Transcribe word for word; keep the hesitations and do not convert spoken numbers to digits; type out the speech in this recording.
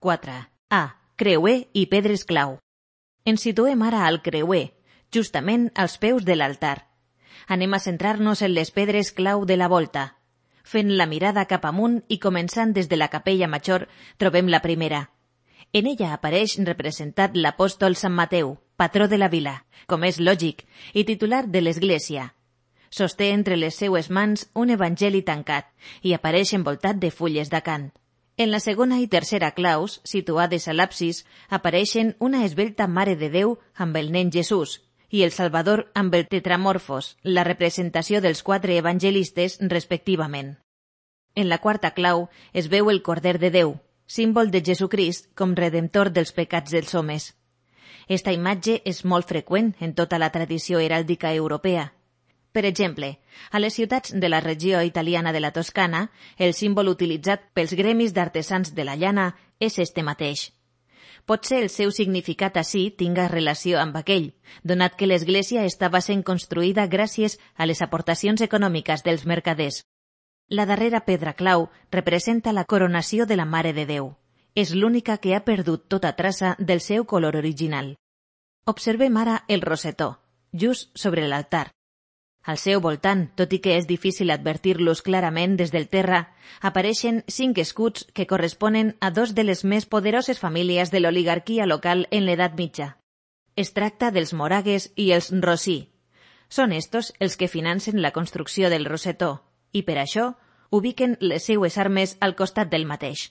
quatre. A. Creuer i pedres clau. Ens situem ara al creuer, justament als peus de l'altar. Anem a centrar-nos en les pedres clau de la volta. Fent la mirada cap amunt i començant des de la capella major, trobem la primera. En ella apareix representat l'apòstol Sant Mateu, patró de la vila, com és lògic, i titular de l'església. Sosté entre les seues mans un evangeli tancat i apareix envoltat de fulles d'acant. En la segona i tercera claus, situades a l'absis, apareixen una esvelta Mare de Déu amb el nen Jesús i el Salvador amb el tetramorfos, la representació dels quatre evangelistes respectivament. En la quarta clau es veu el Corder de Déu, símbol de Jesucrist com redemptor dels pecats dels homes. Esta imatge és molt freqüent en tota la tradició heràldica europea. Per exemple, a les ciutats de la regió italiana de la Toscana, el símbol utilitzat pels gremis d'artesans de la llana és este mateix. Potser el seu significat ací tinga relació amb aquell, donat que l'església estava sent construïda gràcies a les aportacions econòmiques dels mercaders. La darrera pedra clau representa la coronació de la Mare de Déu. És l'única que ha perdut tota traça del seu color original. Observem ara el rosetó, just sobre l'altar. Al seu voltant, tot i que és difícil advertir-los clarament des del terra, apareixen cinc escuts que corresponen a dos de les més poderoses famílies de l'oligarquia local en l'edat mitja. Es tracta dels Moragues i els Rosí. Són estos els que financen la construcció del rosetó i, per això, ubiquen les seues armes al costat del mateix.